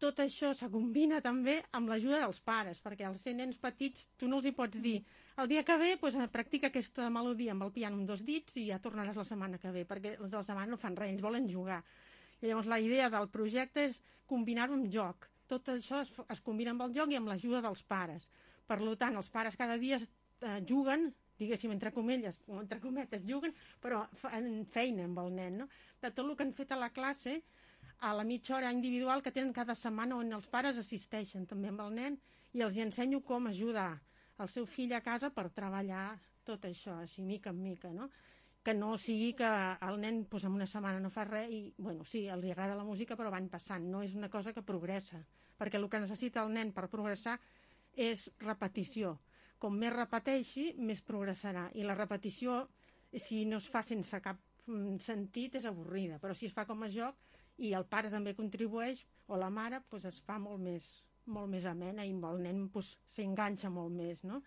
tot això se combina també amb l'ajuda dels pares, perquè als ser nens petits tu no els hi pots dir el dia que ve doncs, practica aquesta melodia amb el piano amb 2 dits i ja tornaràs la setmana que ve, perquè els de la setmana no fan res, ells volen jugar. I llavors la idea del projecte és combinar-ho amb joc. Tot això es combina amb el joc i amb l'ajuda dels pares. Per tant, els pares cada dia juguen, diguéssim, entre comelles, o entre cometes, juguen, però fan feina amb el nen, no? De tot el que han fet a la classe, a la mitja hora individual que tenen cada setmana on els pares assisteixen també amb el nen i els ensenyo com ajudar el seu fill a casa per treballar tot això, així mica en mica, no? Que no sigui que el nen doncs, en una setmana no fa res i, bueno, sí, els agrada la música però van passant, no és una cosa que progressa, perquè el que necessita el nen per progressar és repetició. Com més repeteixi, més progressarà. I la repetició, si no es fa sense cap sentit, és avorrida, però si es fa com a joc i el pare també contribueix, o la mare, doncs es fa molt més amena i el nen s'enganxa molt més, no?